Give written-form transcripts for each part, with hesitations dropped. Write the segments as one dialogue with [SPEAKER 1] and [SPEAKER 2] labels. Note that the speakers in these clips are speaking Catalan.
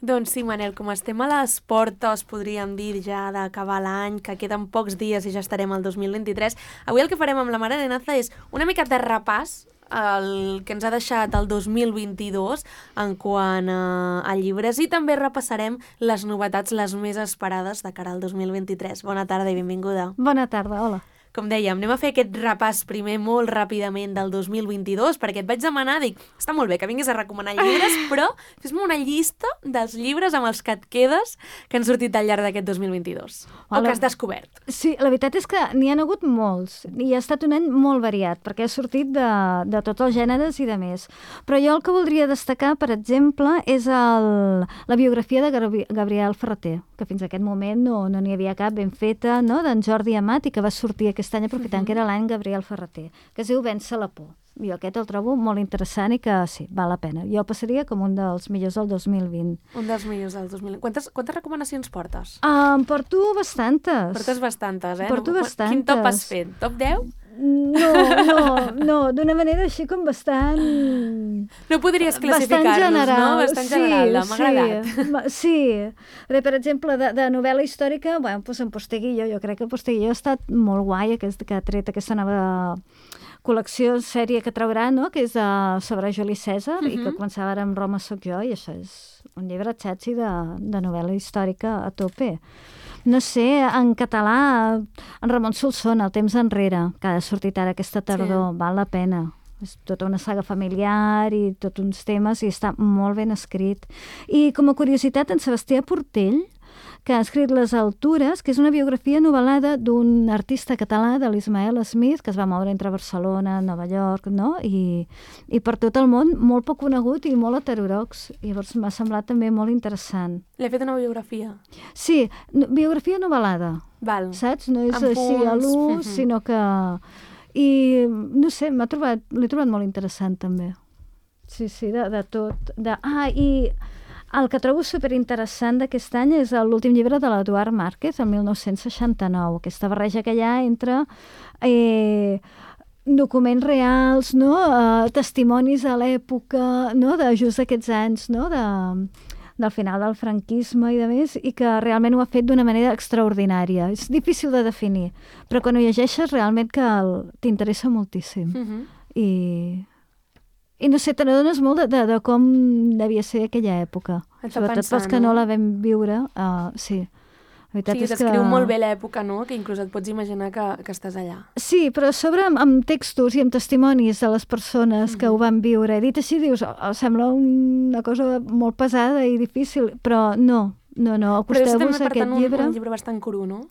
[SPEAKER 1] Doncs sí, Manel, com estem a les portes, podríem dir ja d'acabar l'any, que queden pocs dies i ja estarem al 2023, avui el que farem amb la Mare Arenaza és una mica de repàs el que ens ha deixat el 2022 en quant a llibres i també repassarem les novetats les més esperades de cara al 2023. Bona tarda i benvinguda.
[SPEAKER 2] Bona tarda, hola.
[SPEAKER 1] Com dèiem, anem a fer aquest repàs primer molt ràpidament del 2022, perquè et vaig demanar, dic, està molt bé que vinguis a recomanar llibres, però fes-me una llista dels llibres amb els que et quedes que han sortit al llarg d'aquest 2022, o que has descobert.
[SPEAKER 2] Sí, la veritat és que n'hi ha hagut molts, i ha estat un any molt variat, perquè ha sortit de tots els gèneres i de més. Però jo el que voldria destacar, per exemple, és la biografia de Gabriel Ferrater, que fins a aquest moment no n'hi havia cap ben feta, no?, d'en Jordi Amat, i que va sortir aquest any aprofitant que era l'any Gabriel Ferrater, que es diu Vèncer la por. Jo aquest el trobo molt interessant i que sí, val la pena. Jo el passaria com un dels millors del 2020.
[SPEAKER 1] Un dels millors del 2020. Quantes recomanacions portes?
[SPEAKER 2] Em porto bastantes.
[SPEAKER 1] Portes bastantes, eh?
[SPEAKER 2] Porto bastantes.
[SPEAKER 1] Quin top has fet? Top 10?
[SPEAKER 2] No, d'una manera així com bastant...
[SPEAKER 1] No podries classificar-los, no? Bastant general, m'ha agradat.
[SPEAKER 2] Sí. Per exemple, de novel·la històrica, bueno, doncs en Posteguillo, jo crec que Posteguillo ha estat molt guai, que ha tret aquesta nova col·lecció, sèrie que traurà, no?, que és sobre Juli Cèsar, i que començava ara amb Roma soc jo, i això és un llibre xatxi de novel·la històrica a tope. No sé, en català, en Ramon Solsona, El temps enrere, que ha sortit ara aquesta tardor, val la pena. És tota una saga familiar i tots uns temes, i està molt ben escrit. I com a curiositat, en Sebastià Portell, que ha escrit Les altures, que és una biografia novel·lada d'un artista català, de l'Ismael Smith, que es va moure entre Barcelona, Nova York, no?, i per tot el món, molt poc conegut i molt heterodox. I llavors m'ha semblat també molt interessant.
[SPEAKER 1] L'he fet una biografia?
[SPEAKER 2] Sí, biografia novel·lada.
[SPEAKER 1] Val.
[SPEAKER 2] Saps? No és així a l'ús, sinó que... I, no sé, l'he trobat molt interessant, també. Sí, de tot. I el que trobo superinteressant d'aquest any és l'últim llibre de l'Eduard Márquez, el 1969, aquesta barreja que hi ha entre documents reals, no?, testimonis a l'època, no?, de just aquests anys, no?, del final del franquisme i de més, i que realment ho ha fet d'una manera extraordinària. És difícil de definir, però quan ho llegeixes realment que t'interessa moltíssim. I no sé, te n'adones molt de com devia ser aquella època. Sobretot pels que no la vam viure. Sí.
[SPEAKER 1] Sí, descriu molt bé l'època, no?, que inclús et pots imaginar que estàs allà.
[SPEAKER 2] Sí, però a sobre amb textos i amb testimonis de les persones que ho van viure. Dit així, dius, sembla una cosa molt pesada i difícil, però no, acosteu-vos a aquest llibre.
[SPEAKER 1] Però és un llibre bastant cru, no?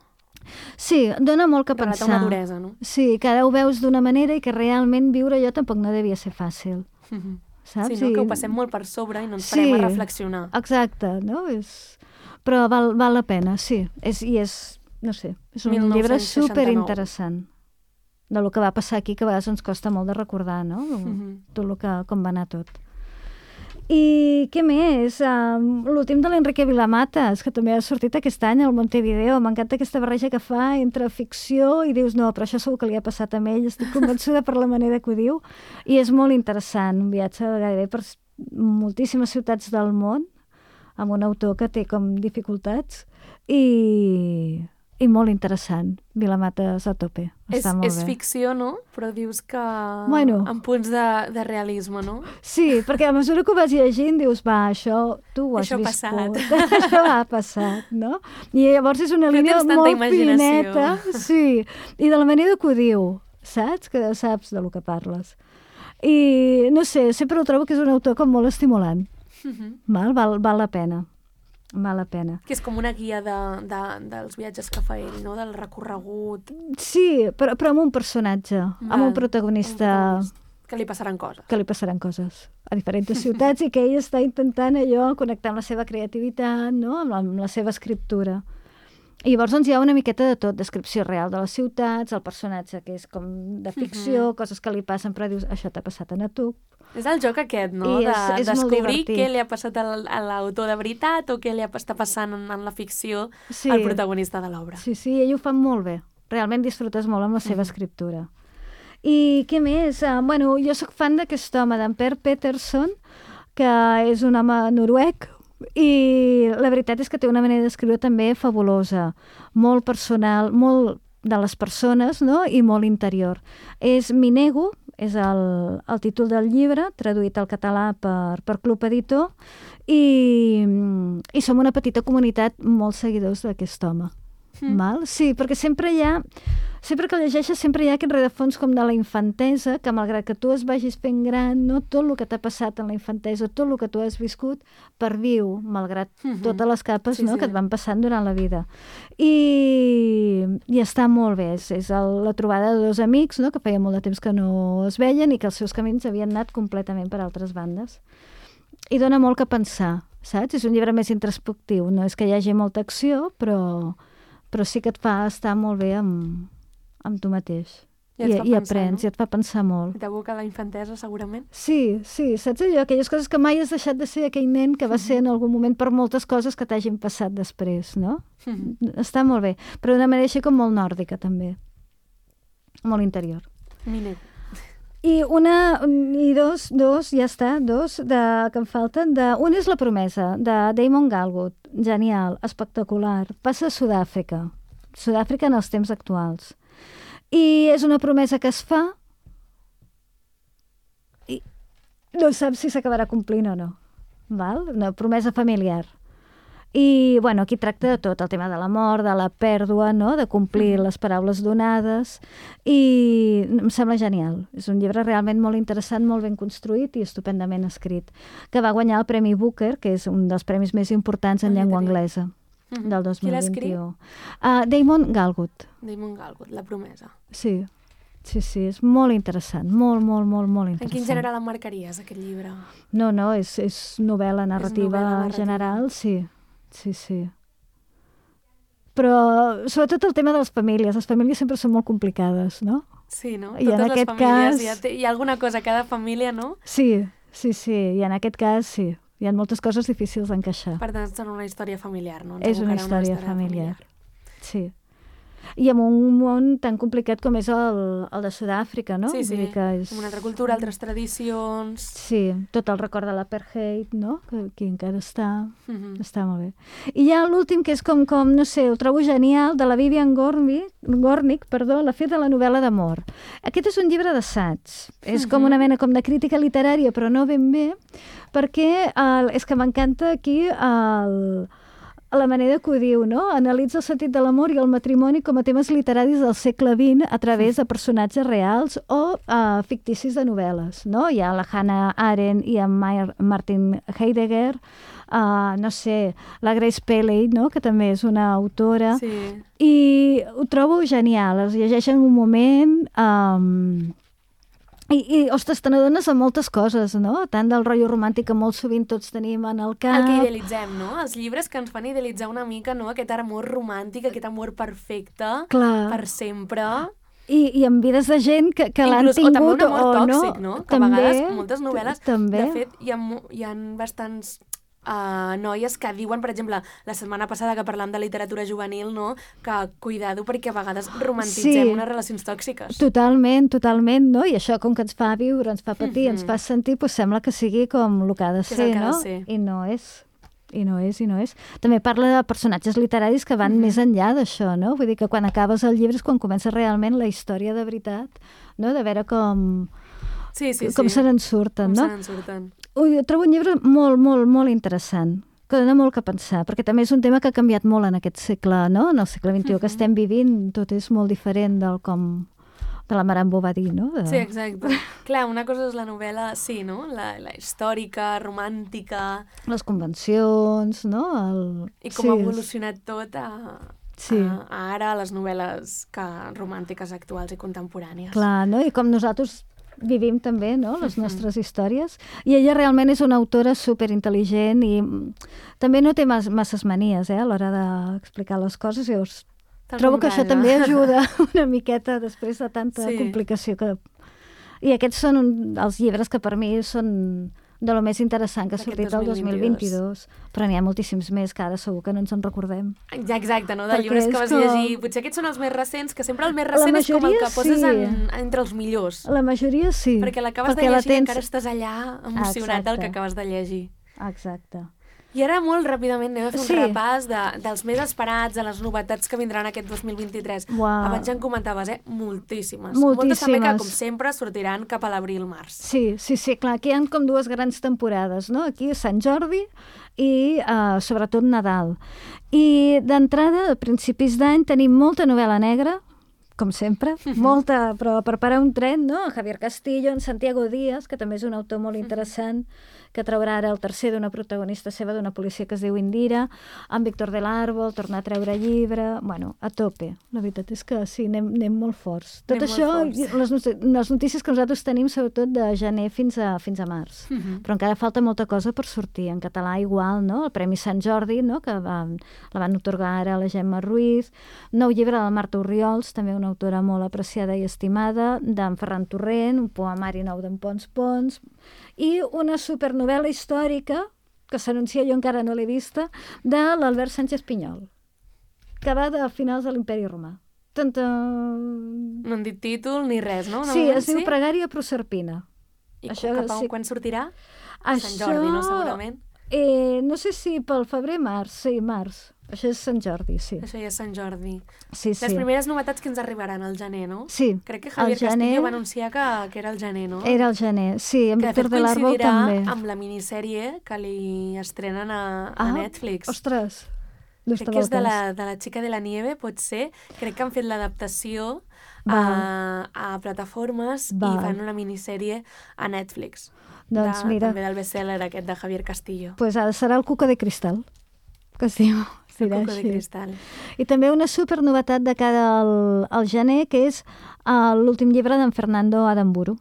[SPEAKER 2] Sí, dona molt que pensar.
[SPEAKER 1] Relata una duresa, no?
[SPEAKER 2] Sí, que ara ho veus d'una manera i que realment viure allò tampoc no devia ser fàcil. Saps?
[SPEAKER 1] Sí, no? Que ho passem molt per sobre i no ens parem a reflexionar.
[SPEAKER 2] Exacte, no? Però val la pena, sí. No sé, és un llibre superinteressant de lo que va passar aquí, que a vegades ens costa molt de recordar, no? Tot com va anar tot. I què més? L'últim de l'Enrique Vilamatas, que també ha sortit aquest any al Montevideo. M'encanta aquesta barreja que fa entre ficció i dius, no, però això segur que li ha passat a ell, estic convençuda per la manera que ho diu, i és molt interessant, un viatge gairebé per moltíssimes ciutats del món, amb un autor que té com dificultats, i molt interessant. Vilamatas a tope. Està molt bé.
[SPEAKER 1] És ficció, no? Però dius que... amb punts de realisme, no?
[SPEAKER 2] Sí, perquè a mesura que ho vas llegint dius, això tu ho has viscut. Això ha passat, no? I llavors és una línia molt fineta. Sí, i de la manera que ho diu, saps? Que saps de lo que parles. I, no sé, sempre ho trobo que és un autor com molt estimulant. Val la pena. Val la pena.
[SPEAKER 1] Que és com una guia dels viatges que fa ell, no? Del recorregut.
[SPEAKER 2] Sí, però amb un personatge, amb un protagonista...
[SPEAKER 1] Que li passaran coses.
[SPEAKER 2] Que li passaran coses a diferents ciutats i que ell està intentant allò, connectar amb la seva creativitat, no?, amb la seva escriptura. I llavors doncs, hi ha una miqueta de tot, descripció real de les ciutats, el personatge que és com de ficció, coses que li passen, però dius, això t'ha passat a tu.
[SPEAKER 1] És el joc aquest, no? De descobrir què li ha passat a l'autor de veritat o què li està passant en la ficció al protagonista de l'obra.
[SPEAKER 2] Sí, ell ho fa molt bé. Realment disfrutes molt amb la seva escriptura. I què més? Jo soc fan d'aquest home, d'en Per Pettersson, que és un home noruec, I la veritat és que té una manera d'escriure també fabulosa, molt personal, molt de les persones, no? I molt interior. M'hi nego, és el títol del llibre, traduït al català per Club Editor, i som una petita comunitat molt seguidors d'aquest home. Val? Sí, perquè sempre que llegeixes sempre hi ha aquest rerefons com de la infantesa, que malgrat que tu es vagis fent gran, no, tot el que t'ha passat en la infantesa, tot el que tu has viscut, perviu, malgrat totes les capes que et van passant durant la vida. I està molt bé, és la trobada de dos amics, no, que feia molt de temps que no es veien i que els seus camins havien anat completament per altres bandes. I dona molt que pensar, saps? És un llibre més introspectiu, no és que hi hagi molta acció, però sí que et fa estar molt bé amb tu mateix. I aprens, i et fa pensar molt.
[SPEAKER 1] I t'aboca la infantesa, segurament?
[SPEAKER 2] Sí, saps allò? Aquelles coses que mai has deixat de ser aquell nen que va ser en algun moment per moltes coses que t'hagin passat després, no? Està molt bé, però d'una manera així com molt nòrdica, també. Molt interior.
[SPEAKER 1] Mine.
[SPEAKER 2] I dos, ja està, que em falten. Un és La promesa, de Damon Galgut. Genial, espectacular. Passa a Sud-àfrica. Sud-àfrica en els temps actuals. I és una promesa que es fa i no saps si s'acabarà complint o no. Val? Una promesa familiar. I, bueno, aquí tracta de tot, el tema de la mort, de la pèrdua, no?, de complir les paraules donades, i em sembla genial. És un llibre realment molt interessant, molt ben construït i estupendament escrit, que va guanyar el Premi Booker, que és un dels premis més importants en llengua anglesa del 2021.
[SPEAKER 1] Qui l'ha escrit?
[SPEAKER 2] Damon Galgut.
[SPEAKER 1] Damon Galgut, La promesa.
[SPEAKER 2] Sí, és molt interessant, molt interessant.
[SPEAKER 1] En quin gènere l'emmarcaries, aquest llibre?
[SPEAKER 2] No, és novel·la narrativa general, sí. Però sobretot el tema de les famílies sempre són molt complicades, no?
[SPEAKER 1] Sí, no?
[SPEAKER 2] I en aquest cas...
[SPEAKER 1] Hi ha alguna cosa a cada família, no?
[SPEAKER 2] Sí, i en aquest cas sí. Hi ha moltes coses difícils d'encaixar.
[SPEAKER 1] Per tant, és una història familiar, no?
[SPEAKER 2] És una història familiar. Sí. I amb un món tan complicat com és el de Sud-àfrica, no?
[SPEAKER 1] Sí, amb una altra cultura, altres tradicions... Sí,
[SPEAKER 2] tot el record de l'apartheid, no? Que aquí encara està... Està molt bé. I hi ha l'últim, que és com, no sé, ho trobo genial, de la Vivian Gornick, La fi de la novel·la d'amor. Aquest és un llibre d'assaig. És com una mena com de crítica literària, però no ben bé, perquè és que m'encanta aquí la manera que ho diu, no? Analitza el sentit de l'amor i el matrimoni com a temes literaris del segle XX a través de personatges reals o ficticis de novel·les, no? Hi ha la Hannah Arendt i en Martin Heidegger, no sé, la Grace Paley, no?, que també és una autora, i ho trobo genial, es llegeix en un moment... I, ostres, te n'adones de moltes coses, no? Tant del rotllo romàntic que molt sovint tots tenim en el cap.
[SPEAKER 1] El que idealitzem, no? Els llibres que ens fan idealitzar una mica, no? Aquest amor romàntic, aquest amor perfecte, per sempre.
[SPEAKER 2] I amb vides de gent que l'han tingut o no.
[SPEAKER 1] O també un amor tòxic, no? Que a vegades, moltes novel·les, de fet, hi ha bastants... noies que diuen, per exemple, la setmana passada que parlàvem de literatura juvenil, no?, que cuidado perquè a vegades romantitzem unes relacions tòxiques. Totalment,
[SPEAKER 2] no? I això, com que ens fa viure, ens fa patir, ens fa sentir, doncs sembla que sigui com el que ha de ser, no? I no és. També parla de personatges literaris que van més enllà d'això, no? Vull dir que quan acabes el llibre és quan comença realment la història de veritat, no? De veure com se n'en surten, no? Jo trobo un llibre molt interessant, que dona molt que pensar, perquè també és un tema que ha canviat molt en aquest segle, no? En el segle XXI que estem vivint, tot és molt diferent de la Marambo va dir, no?
[SPEAKER 1] Sí, exacte. Clar, una cosa és la novel·la, sí, no? La històrica, romàntica...
[SPEAKER 2] Les convencions, no?
[SPEAKER 1] I com ha evolucionat tot a ara les novel·les romàntiques actuals i contemporànies.
[SPEAKER 2] Clar, no? I com nosaltres vivim també, no?, les nostres històries. I ella realment és una autora superintel·ligent i també no té masses manies, a l'hora d'explicar les coses. Llavors, trobo que això també ajuda una miqueta després de tanta complicació que... I aquests són els llibres que per mi són de lo més interessant que ha sortit el 2022. Però n'hi ha moltíssims més que ara segur que no ens en recordem.
[SPEAKER 1] Ja, exacte, no? De llibres que vas llegir. Potser aquests són els més recents, que sempre el més recent és com el que poses entre els millors.
[SPEAKER 2] La majoria sí.
[SPEAKER 1] Perquè l'acabes de llegir i encara estàs allà emocionat del que acabes de llegir.
[SPEAKER 2] Exacte.
[SPEAKER 1] I ara molt ràpidament anem a fer un
[SPEAKER 2] Sí.
[SPEAKER 1] repàs dels més esperats, de les novetats que vindran aquest 2023.
[SPEAKER 2] Uau.
[SPEAKER 1] Abans ja en comentaves, moltíssimes.
[SPEAKER 2] Moltíssimes.
[SPEAKER 1] Moltes també que, com sempre, sortiran cap a l'abril-març.
[SPEAKER 2] Sí, clar, aquí hi ha com dues grans temporades, no? Aquí Sant Jordi i sobretot Nadal. I d'entrada, a principis d'any, tenim molta novel·la negra, com sempre, molta, però per parar un tren, no? Javier Castillo, en Santiago Díaz, que també és un autor molt interessant, que traurà ara el tercer d'una protagonista seva, d'una policia que es diu Indira, en Víctor del Árbol, torna a treure llibre, bueno, a tope. La veritat és que sí, anem molt forts. Tot això, les notícies que nosaltres tenim, sobretot de gener fins a març. Però encara falta molta cosa per sortir. En català igual, no? El Premi Sant Jordi, no? Que la van otorgar ara a la Gemma Ruiz. Nou llibre de la Marta Orriols, també una autora molt apreciada i estimada, d'en Ferran Torrent, un poemari nou d'en Pons Pons, i una supernovel·la històrica, que s'anuncia, jo encara no l'he vista, de l'Albert Sánchez Pinyol, que va de finals de l'Imperi Romà.
[SPEAKER 1] No han dit títol ni res, no?
[SPEAKER 2] Sí, es diu Pregària Proserpina.
[SPEAKER 1] I quan sortirà? Sant
[SPEAKER 2] Això,
[SPEAKER 1] Jordi, no? Segurament.
[SPEAKER 2] No sé si pel febrer, març. Sí, març. Això és Sant Jordi, sí.
[SPEAKER 1] Això ja és Sant Jordi.
[SPEAKER 2] Sí.
[SPEAKER 1] Les primeres novetats que ens arribaran al gener, no?
[SPEAKER 2] Sí.
[SPEAKER 1] Crec que Javier Castillo va anunciar que era el gener, no?
[SPEAKER 2] Era el gener, sí. En Víctor del Árbol també.
[SPEAKER 1] Que de fet coincidirà amb la minissèrie que li estrenen a Netflix.
[SPEAKER 2] Ostres!
[SPEAKER 1] Crec que és de la Chica de la Nieve, pot ser. Crec que han fet l'adaptació a plataformes i fan una minissèrie a Netflix.
[SPEAKER 2] Doncs mira.
[SPEAKER 1] També del best-seller aquest de Javier Castillo.
[SPEAKER 2] Pues ara serà el Cuco de Cristal, que es diu.
[SPEAKER 1] El Cuco de Cristal.
[SPEAKER 2] I també una supernovetat de cara al gener, que és l'últim llibre d'en Fernando Adamburu,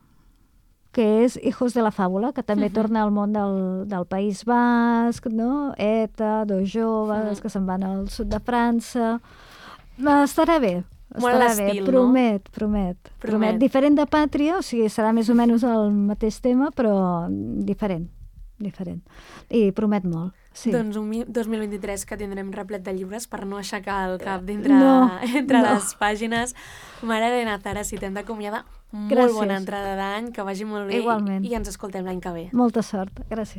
[SPEAKER 2] que és Hijos de la Fàbula, que també torna al món del País Basc, no? ETA, dos joves que se'n van al sud de França. Estarà bé. Estarà bé, promet. Diferent de Pàtria, o sigui, serà més o menys el mateix tema, però diferent. I promet molt. Sí.
[SPEAKER 1] Doncs un 2023 que tindrem replet de llibres per no aixecar el cap entre les pàgines. Mare Elena Zara, si t'hem d'acomiadar, molt bona entrada d'any, que vagi molt bé.
[SPEAKER 2] Igualment.
[SPEAKER 1] I ens escoltem l'any que ve.
[SPEAKER 2] Molta sort, gràcies.